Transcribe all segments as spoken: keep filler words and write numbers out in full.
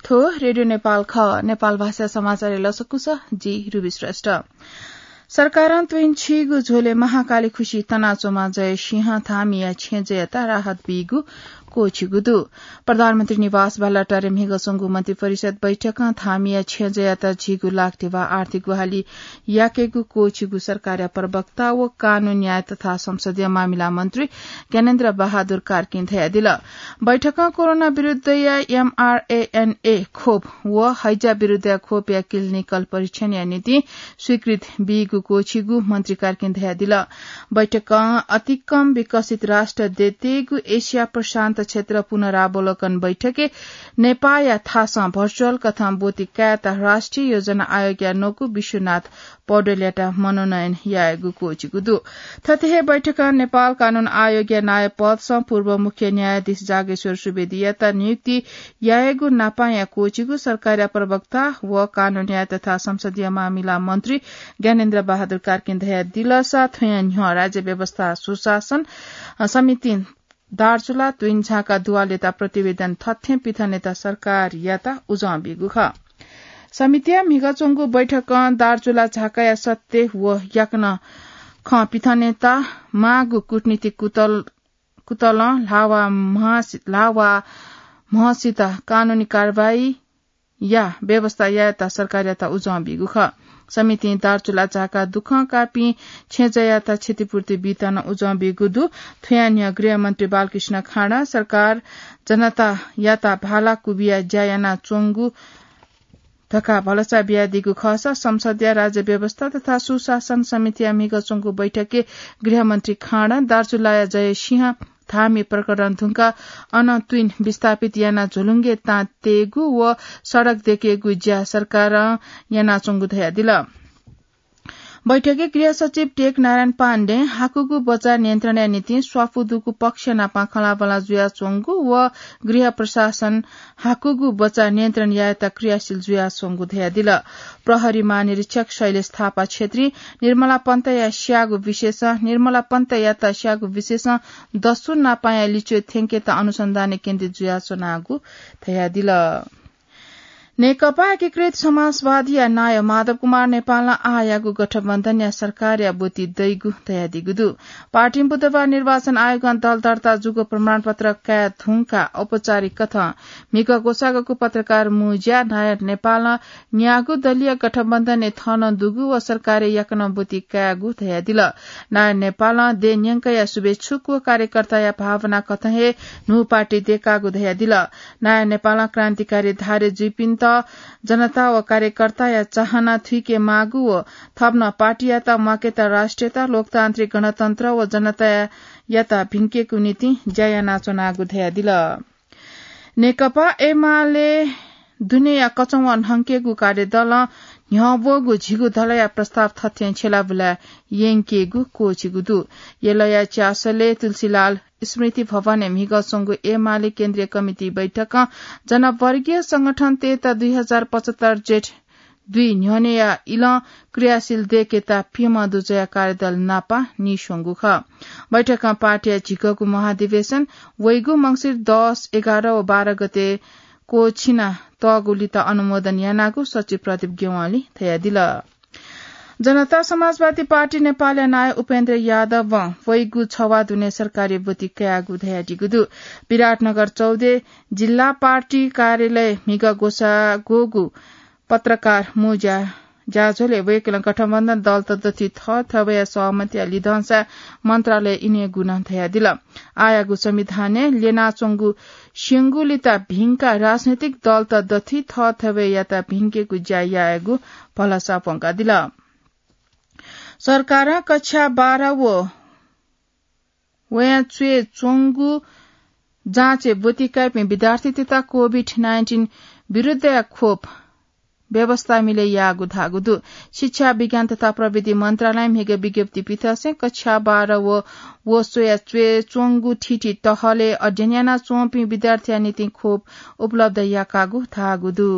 थ्व रेडियो नेपाल खः। नेपाल भाषा समाचारय् लसकुस, जि रुबी श्रेष्ठ। सरकारं त्वइन्छिगु झ्वलय् महाकाली खुसि तनाच्वंम्ह जय सिंह धामीया छेँजःयात राहत बीगु क्वःछिगु दु। प्रधानमन्त्री निवास बालुवाटारय् म्हिगः च्वंगु मन्त्रिपरिषद बैठकं धामीया छेँजःयात झीगु लाख धिबा आर्थिक ग्वाहालि याकेगु क्वःछिगु सरकारया प्रवक्ता व कानून, न्याय तथा संसदीय मामिला मन्त्री ज्ञानेन्द्र बहादुर कार्कीं धयादिल। बैठकं कोरोना विरुद्धया एमआरएनए खोप व हैजा विरुद्धया खोपया क्लिनिकल परीक्षणया निंतिं स्वीकृत बीगु क्वःछिगु मन्त्री कार्कीं धयादिल। बैठकं अतिकम विकसित राष्ट्र दय्‌केगु एसिया प्रशान्त क्षेत्र पुनरावलोकन बैठकय् नेपाःया थासं भर्चुअल कथं ब्वति कायेत राष्ट्रिय योजना आयोगया नकु विश्वनाथ पौडेलयात मनोनयन यायेगु क्वःछिगु दु। थथे हे बैठकं नेपाल कानून आयोगया नायब पदसं पूर्व मुख्य न्यायाधीश जागेश्वर सुवेदीयात नियुक्ति यायेगु नापांया क्वःछिगु सरकारया प्रवक्ता व कानून, न्याय तथा संसदीय मामिला मन्त्री ज्ञानेन्द्र बहादुर कार्कीं धयादिलसा थ्वयां न्ह्यः राज्य व्यवस्था सुशासन समितिं दार्चुला त्वइन्झाका दुवालयात प्रतिवेदन थथें पिथनेत सरकारयात उजं बीगु खः। समितिया म्हिगः च्वंगु बैठकं दार्चुला झाकाया सत्य व याकनं खँ पिथनेत माःगु कूटनीतिक कुतल-, कुतलं ल्हाः वा म्हसि-, ल्हाः वा म्हसित कानूनी कारवाही या व्यवस्था यायेत सरकारयात उजं बीगु खः। समितिं दार्चुला झाका दुखं काःपिं छेँजःयात क्षतिपूर्ति बीत नं उजं बीगु दु। थ्वयां न्ह्यः गृहमन्त्री बालकृष्ण खाँडा सरकार जनतायात भाला कुबिया ज्या यानाच्वंगु धकाः भलसा बियादीगु खःसा संसदया राज्य व्यवस्था तथा सुशासन समितिया म्हिगः च्वंगु बैठकय् गृहमन्त्री खाँडा दार्चुलाया जय सिंह धामी प्रकरण धुंकाः अन त्वइन विस्थापित यानाः झोलुंगय् तां तयेगु व सडक दयेकेगु ज्या सरकारं यानाच्वंगु धयादिल। बैठकय् गृह सचिव टेक नारायण पाण्डें हाकुगु बचा नियन्त्रणया निंतिं स्वापू दुगु पक्ष नाप खँल्हाबल्हा जुयाच्वंगु व गृह प्रशासन हाकुगु बचा नियन्त्रण यायेत क्रियाशील जुयाच्वंगु धयादिल। प्रहरी महानिरीक्षक शैलेश थापा क्षेत्री निर्मला पन्तया स्याःगु विषयसं, निर्मला पन्तयात स्याःगु विषयसं दसु नापांया लिच्वय् थ्यंकेत अनुसन्धानय् केन्द्रित जुयाच्वनागु धयादिल। नेकपा एकीकृत समाजवादीया नायः माधव कुमार नेपालं आःयागु गठबन्धनया सरकारया ब्वति दइगु धयादीगु दु। पार्टीं बुधबार निर्वाचन आयोगं दल दर्ता जूगु प्रमाणपत्र काये धुंकाः औपचारिक कथं म्हिगः ग्वसाःगु पत्रकार मुँज्यां नायः नेपालं न्यागू दलीय गठबन्धनय् थन दुगु व सरकारय् याकनं ब्वति कायेगु धयादिल। नायः नेपालं देय् न्यंकया शुभेच्छुक व कार्यकर्ताया भावना कथं हे न्हू पार्टी दयेकागु धयादिल। नायः नेपालं क्रान्तिकारी धारे जुइपिन्त जनता व कार्यकर्ताया चाहना थुइके माःगु व थप नं पार्टीयात म्वाकेत राष्ट्रियता, लोकतान्त्रिक गणतन्त्र व जनतायात भिंकेगु निंतिं ज्या यानाच्वनागु धयादिल। नेकपा एमाले दुनेया कचंवा न्हंकेगु कार्यदलं न्ह्यब्वःगु झिगू दलया प्रस्ताव थथें छ्यलाबुला यंकेगु क्वःछिगु दु। यलया च्यासलय् तुलसीलाल स्मृति भवनय् म्हिगः च्वंगु एमाले केन्द्रीय कमिटी बैठकं जनवर्गीय संगठनतय्‌त दुई हजार पचहत्तर जेठ दुई न्ह्यःनेया इलं क्रियाशील दयेकेत प्यम्ह दुजःया कार्यदल नापं नीस्वंगु खः। बैठकं पार्टीया झिगःगु महाधिवेशन वइगु मंसिर दस, एघार व बाह्र गते क्वःछिना तःगुलित अनुमोदन यानागु सचिव प्रदीप गेवालीं धयादिल। जनता समाजवादी पार्टी नेपालया नायः उपेन्द्र यादवं वइगु छवाः दुने सरकारी ब्वति कायेगु धयादीगु दु। विराटनगर चौधे जिल्ला पार्टी कार्यालय म्हिगः ग्वसाः ग्वःगु पत्रकार मुँज्या ज्याझ्वलय् वय्‌कलं गठबन्धन दलत दथुइ थःथवया सहमतिया लिधंसा मन्त्रालय इनेगु नं धयादिल। आःयागु संविधानय् ल्यनाच्वंगु स्यंगुलित भिंकाः राजनैतिक दलत दथुइ थःथवयात भिंकेगु ज्या यायेगु भलसा प्वंकादिल। सरकारं कक्षा बाह्र व वयाच्वय् च्वंगु जाँचय् ब्वति काइपिं विद्यार्थीतय्‌त कोभिड नाइन्टिन विरुद्धया खोप व्यवस्था मिलय् याःगु धाःगु दु। शिक्षा, विज्ञान तथा प्रविधि मन्त्रालयं म्हिगः विज्ञप्ति पिथंसें कक्षा बाह्र व व स्वयाच्वय् च्वंगु थीथी तहलय् अध्ययन यानाच्वंपिं विद्यार्थीया निंतिं खोप उपलब्ध याकागु धाःगु दु।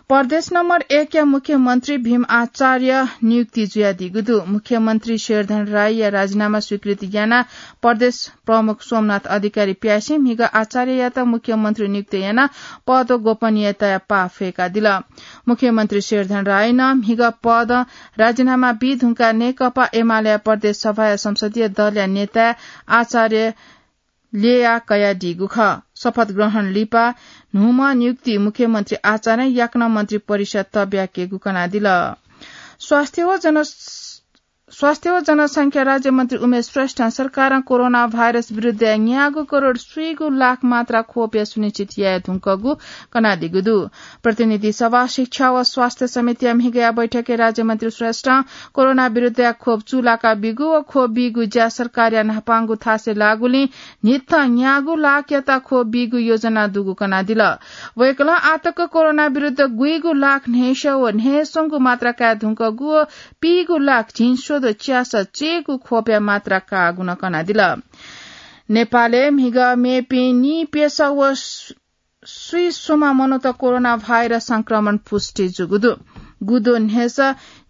प्रदेश नम्बर एक या मुख्यमन्त्री भीम आचार्य नियुक्ति जुयादीगु दु। मुख्यमन्त्री शेरधन राईया राजीनामा स्वीकृति यानाः प्रदेश प्रमुख सोमनाथ अधिकारी प्यासें म्हिगः आचार्ययात मुख्यमन्त्री नियुक्त यानाः पद व गोपनीयताया पाः फय्कादिल। मुख्यमन्त्री शेरधन राईनं म्हिगः पदं राजीनामा बी धुंकाः नेकपा एमालेया प्रदेश सभाया संसदीय दलया नेताय् आचार्य ल्यया कयादीगु खः। शपथ ग्रहण लिपा न्हूम्ह नियुक्ति मुख्यमन्त्री आचार्यं याकनं मन्त्री परिषद तब्याकेगु कनादिल। स्वास्थ्य व जन स्वास्थ्य व जनसंख्या राज्यमन्त्री उमेश श्रेष्ठं सरकारं कोरोना भाइरस विरुद्धय् न्यागू करोड स्वीगू लाख मात्रा खोपया सुनिश्चित याये धुंकूगु कनादीगु दु। प्रतिनिधि सभा, शिक्षा व स्वास्थ्य समितिया म्हिगःया बैठकय् राज्यमन्त्री श्रेष्ठं कोरोना विरुद्धय् खोप चूलाका बीगु व खोप बीगु ज्या सरकारया न्हापांगु थासय् लाःगुलिं न्हिथं न्यागू लाखयात खोप बीगु योजना दुगु कनादिल। वय्कलं आःतक कोरोना विरुद्ध गुइगू लाख न्हय्स व न्हय्स्वंगू मात्रा काये धुंकूगु व पीगू लाख झिंस्वदँ च्यासः चय्गू खोपया मात्रा काःगु नं कनादिल। नेपालय् म्हिगः मेपिं नीप्यसः व स्वीस्वम्ह मनूत कोरोना भाइरस संक्रमण पुष्टि जूगु दु। गुदँ न्हय्स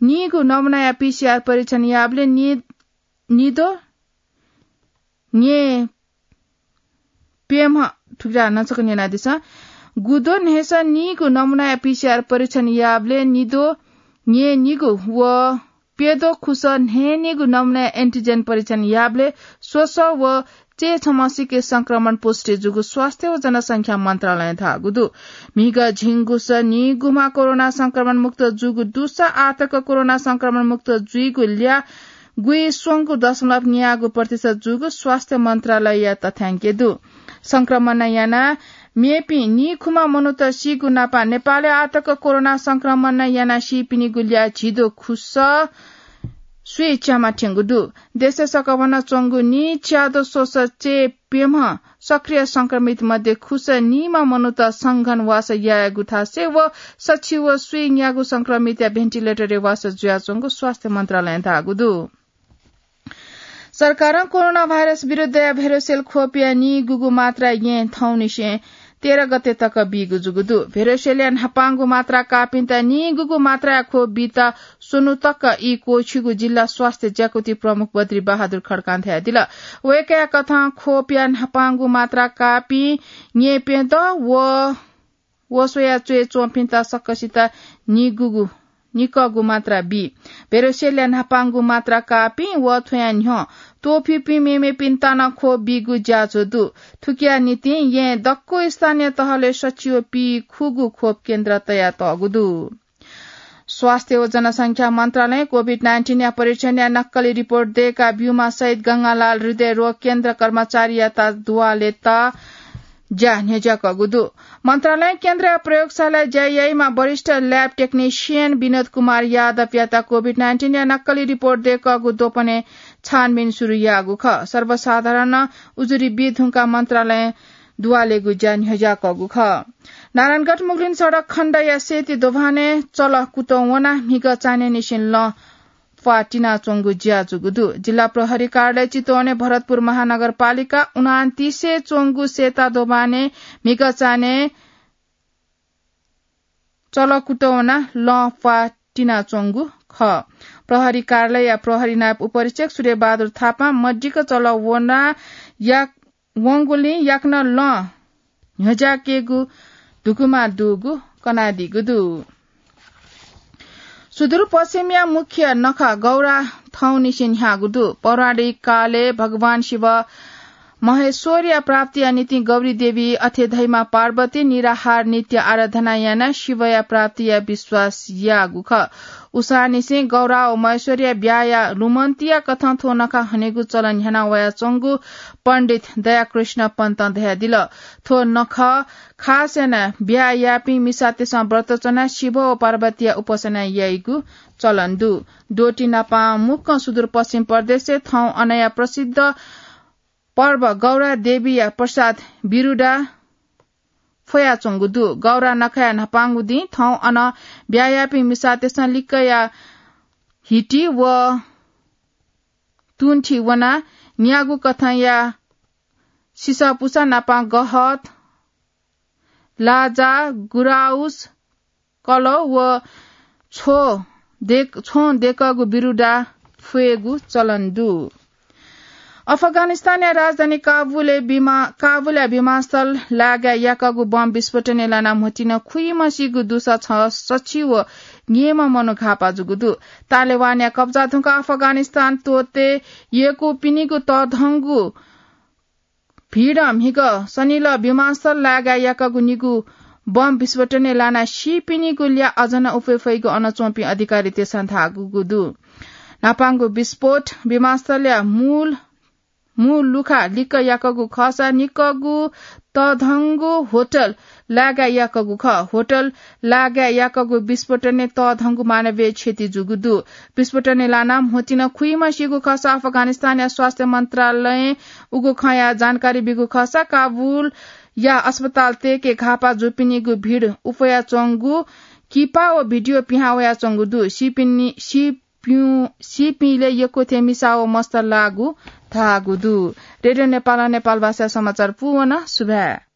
नीगू नमुनाया पीसीआर परीक्षण याःबलय् नि-, निद्वः न्येप्यम्ह, थुकिया नचक न्यनादिसँ। गुदँ न्हय्स नीगू नमुनाया पीसीआर परीक्षण याःबलय् निद्वः न्येनिगू व प्यद्वः खुसः न्हय्निगू नमुनाया एन्टिजेन परीक्षण याःबलय् स्वसः व चय्छम्हसिके संक्रमण पुष्टि जूगु स्वास्थ्य व जनसंख्या मन्त्रालयं धाःगु दु। म्हिगः झिंगुसः नीगुम्ह कोरोना संक्रमण मुक्त जूगु दुसा आःतक कोरोना संक्रमण मुक्त जुइगु ल्याः गुइस्वंगू दशमलव न्यागू प्रतिशत जूगु स्वास्थ्य मन्त्रालयया तथ्याङ्कय् दु। संक्रमण यानाः मेपिं नीखुम्ह मनूत सीगु नापं नेपालय् आःतक कोरोना संक्रमण यानाः सीपिनिगु ल्याः झिद्वः खुसः स्वीच्याम्ह थ्यंगु दु। देशय् सकभनं च्वंगु नीच्याद्वः स्वसः चय्प्यम्ह सक्रिय संक्रमित मध्ये खुसः नीम्ह मनूत संघन वासः यायेगु थासय् व सछि व स्वीन्यागू संक्रमितया भेन्टिलेटरय् वासः जुयाच्वंगु स्वास्थ्य मन्त्रालयं धाःगु दु। सरकारं कोरोना भाइरस विरुद्धया भेरोसेल खोपया नीगूगू मात्रा येँ थौंनिसें तेह्र गते तक बीगु जूगु दु। भेरोसेलया न्हापांगु मात्रा काःपिन्त नीगूगू मात्राया खोप बीत स्वन्हु तक ई क्वःछिगु जिल्ला स्वास्थ्य ज्याकुथि प्रमुख बद्री बहादुर खड्कां धयादिल। वय्कःया कथं खोपया न्हापांगु मात्रा काःपिं येँ प्यद्वः व व स्वया च्वय् च्वंपिन्त सकसित निगूगु, निकःगु मात्रा बी। भेरोसेलया न्हापांगु मात्रा काःपिं व थ्वया न्ह्यः त्वःफिपिं मेमेपिन्त नं खोप बीगु ज्याझ्वः दु। थुकिया निंतिं येँ दक्व स्थानीय तहलय् सछि व पीखुगू खोप केन्द्र तयातःगु दु। स्वास्थ्य व जनसंख्या मन्त्रालयं कोभिड नाइन्टिनया परीक्षणया नक्कली रिपोर्ट दय्का ब्यूम्ह शहीद गंगालाल हृदय रोग केन्द्र कर्मचारीयात दुवालेत ज्या न्ह्यज्याकःगु दु। मन्त्रालयं केन्द्रया प्रयोगशालाय् ज्या याइम्ह वरिष्ठ ल्याब टेक्निसियन विनोद कुमार यादवयात कोभिड नाइन्टिनया नक्कली रिपोर्ट दय्कःगु द्वपनय् छानबिन सुरु याःगु खः। सर्वसाधारण उजुरी बी धुंकाः मन्त्रालयं दुवालेगु ज्या न्ह्यज्याकःगु खः। नारायणगढ मुगलिन सडक खण्डया सेती दोभानय् चलः कुतः वनाः म्हिगः चान्हय्निसें लँ प्वाः तिनाच्वंगु ज्या जूगु दु। जिल्ला प्रहरी कार्यालय चितवनय् भरतपुर महानगरपालिका उनान्तिसय् च्वंगु सेता दोभानय् म्हिगः चान्हय् चलः कुतः वनाः लँ प्वाः तिनाच्वंगु खः। प्रहरी कार्यालयया प्रहरी नायब उपरीक्षक सूर्यबहादुर थापां मदिक्क चलः वनाः या वंगुलिं याकनं लँ न्ह्यज्याकेगु धुकुमा दुगु कनादीगु दु। सुदूरपश्चिमया मुख्य नखः गौरा थौंनिसें न्ह्याःगु दु। पौराणिक कालय् भगवान शिव महेश्वरया प्राप्तिया निंतिं गौरी देवी अथे धइम्ह पार्वती निराहार नित्य आराधना यानाः शिवया प्राप्तिया विश्वास याःगु खः। उसांनिसें गौरा व महेश्वरया ब्याहा लुमन्तिया कथं थ्व नखः हनेगु चलन न्ह्याना वयाच्वंगु पण्डित दयाकृष्ण पन्तं धयादिल। थ्व नखः खास यानाः ब्याहा याःपिं मिसातय्सं व्रत च्वनाः शिव व पार्वतीया उपासना याइगु चलन दु। द्वःति नापं मुक्कं सुदूरपश्चिम प्रदेशय् थौं अनया प्रसिद्ध पर्व गौरा देवीया प्रसाद बिरुदा फ्वयाच्वंगु दु। गौरा नखःया न्हापांगु दिं थौं अन ब्याहा याःपिं मिसातय्सं लिक्कया हिटी व तुंथि वनाः न्यागू कथंया सिसःपुसः नापं गहत, लाजा, गुराउस, कलः व छ्वँ देकःगु बिरुदा फ्वयेगु चलन दु। अफगानिस्तानया राजधानी काबुलय् विमा-, काबुलया विमानस्थल लागाय् याकःगु बम विस्फोटनय् लानाः म्होतिन खुइम्हसिगु दुसा छसछि व न्येम्ह मनू घाःपा जूगु दु। तालेवानया कब्जा धुंकाः अफगानिस्तान त्वःते यय्कूपिनिगु तःधंगु भिडं म्हिगः सनिलः विमानस्थल लागाय् याकःगु निगू बम विस्फोटनय् लानाः सीपिनिगु ल्याः अझ नं उफे फइगु अन च्वंपिं अधिकारीतय्सं धाःगु दु। न्हापांगु विस्फोट विमानस्थलया मूल, मूल लुखा लिक्क याकःगु खःसा निकःगु तःधंगु होटल लागाय् याकःगु खः। होटल लागाय् याकःगु विस्फोटनय् तःधंगु मानवीय क्षति जूगु दु। विस्फोटनय् लानाः म्होतिन खुइम्हसिगु खःसा अफगानिस्तानया स्वास्थ्य मन्त्रालयं उगु खँया जानकारी बीगु खःसा काबुलया अस्पतालतय्के घाःपा जूपिनिगु भिड उफयाच्वंगु किपा व भिडियो पिहां वयाच्वंगु दु। सीपिनि-, सीपिं-, सीपिंलय् यक्व थें मिसा व मस्त लाःगु धाःगु दु। रेडियो नेपालं नेपालभाषाया समाचार पूवन। सुभाय्।